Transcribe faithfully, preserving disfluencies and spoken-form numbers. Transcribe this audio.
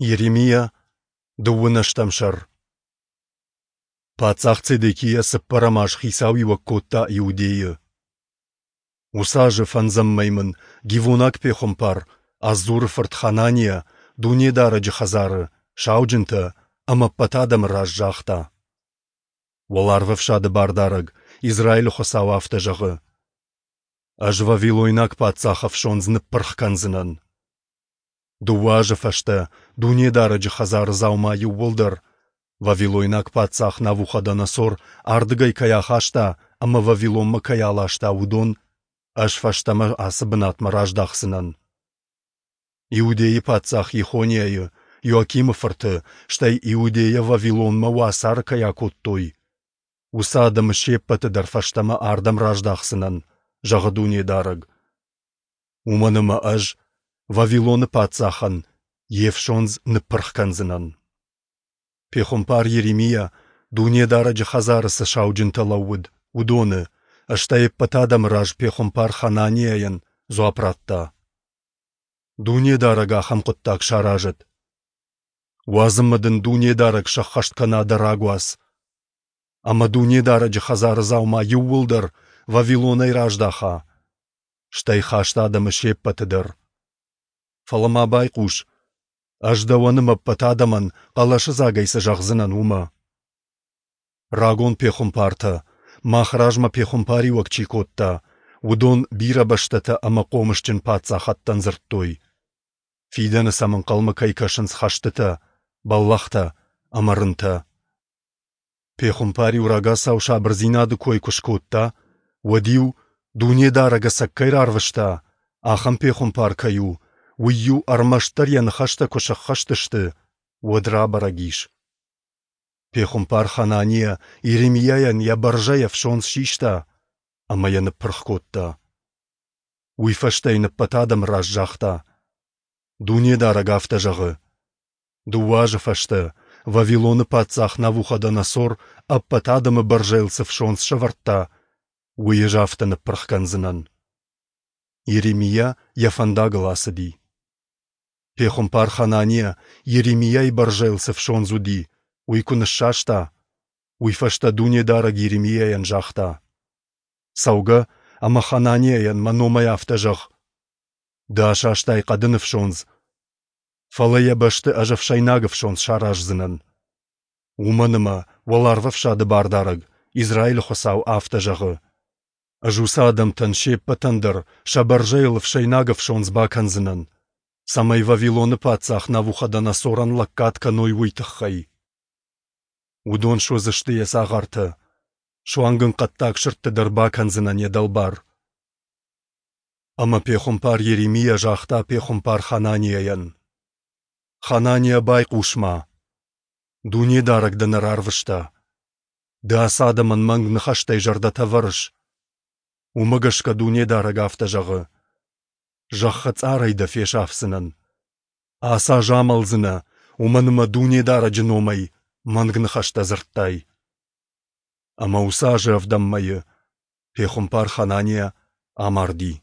Йеремиа, дыууын ӕстӕм сӕр. Паддзах Цедекиа цыппӕрӕм аз хицауиуӕг кодта Иудейы. Уыцы азы фӕндзӕм мӕй мын гивонаг пехуымпар, Аззуры фырт Хананиа, Дунедарӕджы хӕдзары, сауджынтӕ ӕмӕ ӕппӕт адӕмы раз загъта: Уӕларвӕфсады Бардарӕг, Израилы Хуыцау афтӕ зӕгъы: Ӕз вавилойнаг паддзахы ӕфсондз ныппырх кӕндзынӕн. Дыууӕ азы фӕстӕ Дунедарӕджы хӕдзары дзаума иууылдӕр, вавилойнаг паддзах Навуходоносор ардыгӕй кӕй ахаста ӕмӕ Вавилонмӕ кӕй аласта, уыдон ӕз фӕстӕмӕ ацы бынатмӕ раздахдзынӕн. Иудейы паддзах Йехониайы, Иоакимы фырты, стӕй Иудейӕ Вавилонмӕ уацары кӕй акодтой, уыцы адӕмы се ппӕты дӕр фӕстӕмӕ ардӕм раздахдзынӕн, зӕгъы Дунедарӕг. Уымӕн ӕмӕ ӕз Вавилоны паддзахӕн йе фсондз ныппырх кӕндзынӕн. Пехуымпар Йеремиа, Дунедарӕджы хӕдзары цы сауджынтӕ лӕууыд, уыдоны, стӕй ӕппӕт адӕмы раз пехуымпар Хананиайӕн дзуапп радта: Дунедарӕг ахӕм хъуыддаг саразӕд! Уадз ӕмӕ дын Дунедарӕг сӕххӕст кӕна дӕ рагуац, ӕмӕ Дунедарӕджы хӕдзары дзаума иууылдӕр Вавилонӕй раздаха, стӕй хаст адӕмы се ппӕты дӕр. Фӕлӕ ма байхъус, ӕз дӕуӕн ӕмӕ ӕппӕт адӕмӕн хъӕлӕсыдзагӕй цы зӕгъдзынӕн, уымӕ. Рагон пехуымпартӕ, мах размӕ пехуымпариуӕг чи кодта, уыдон бирӕ бӕстӕтӕ ӕмӕ хъомысджын паддзахӕдтӕн дзырдтой, фидӕны сӕм ӕнхъӕлмӕ кӕй кӕсынц хӕстытӕ, бӕллӕхтӕ ӕмӕ рынтӕ. Пехуымпар-иу рагацау сабырдзинады кой куы скодта, уӕд-иу, Дунедарӕг ӕцӕг кӕй рарвыста, ахӕм пехуымпар кӕй у, уый-иу ӕрмӕстдӕр йӕ ныхӕстӕ куы сӕххӕст сты, уӕд рабӕрӕг ис. Пехуымпар Хананиа Йеремиайӕн йӕ бӕрзӕй ӕфсондз систа ӕмӕ йӕ ныппырх кодта. Уый фӕстӕ йын ӕппӕт адӕмы раз загъта: Дунедарӕг афтӕ зӕгъы: Дыууӕ азы фӕстӕ Вавилоны паддзах Навуходоносор ӕппӕт адӕмы бӕрзӕйыл цы фсондз сӕвӕрдта, уый ӕз афтӕ ныппырх кӕндзынӕн. Йеремиа йӕ фӕндагыл ацыди. Пехуымпар Хананиа Йеремиайы бӕрзӕйыл цы фсондз уыди, уый куы ныссаста, уый фӕстӕ Дунедарӕг Йеремиайӕн загъта: Цӕугӕ ӕмӕ Хананиайӕн мӕ номӕй афтӕ зӕгъ: Ды асастай хъӕдын ӕфсондз, фӕлӕ йӕ бӕсты ӕз ӕфсӕйнаг ӕфсондз сараздзынӕн. Уымӕн ӕмӕ Уӕларвӕфсады Бардарӕг, Израилы Хуыцау, афтӕ зӕгъы: Ӕз уыцы адӕмтӕн се ппӕтӕн дӕр сӕ бӕрзӕйыл ӕфсӕйнаг ӕфсондз бакӕндзынӕн, цӕмӕй Вавилоны паддзах Навуходоносорӕн лӕггад кӕной, уый тыххӕй. Уыдон суыдзысты йӕ цагъартӕ, суанг ын хъӕддаг сырдты дӕр бакӕндзынӕн йӕ дӕлбар. Ӕмӕ пехуымпар Йеремиа загъта пехуымпар Хананиайӕн: Хананиа, байхъус-ма! Дунедарӕг дӕ нӕ рарвыста. Ды ацы адӕмӕн мӕнг ныхӕстӕй зӕрдӕтӕ вӕрыс. Уымӕ гӕсгӕ Дунедарӕг афтӕ зӕгъы: Зӕххы цъарӕй дӕ фесафдзынӕн. Ацы аз амӕлдзынӕ, уымӕн ӕмӕ Дунедарӕджы номӕй мӕнг ныхӕстӕ дзырдтай. Ӕмӕ уыцы азы ӕвдӕм мӕйы пехуымпар Хананиа амарди.